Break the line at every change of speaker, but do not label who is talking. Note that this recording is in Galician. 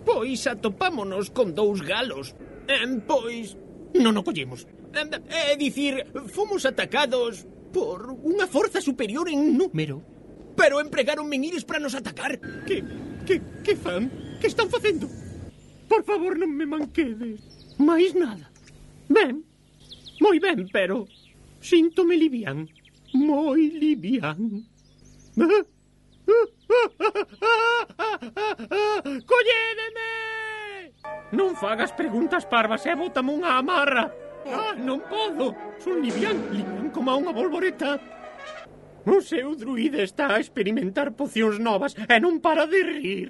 Pois atopámonos con 2 galos. Pois non o collemos. É dicir, fomos atacados por unha forza superior en número. Pero empregaron menires para nos atacar. Que fan? Que están facendo? Por favor, non me manquedes. Mais nada. Ben, moi ben, pero síntome livián. Moi livián. Collédeme! Non fagas preguntas parvas e bótame unha amarra. Non podo. Son livián como unha bolboreta. O seu druide está a experimentar pocións novas e non para de rir.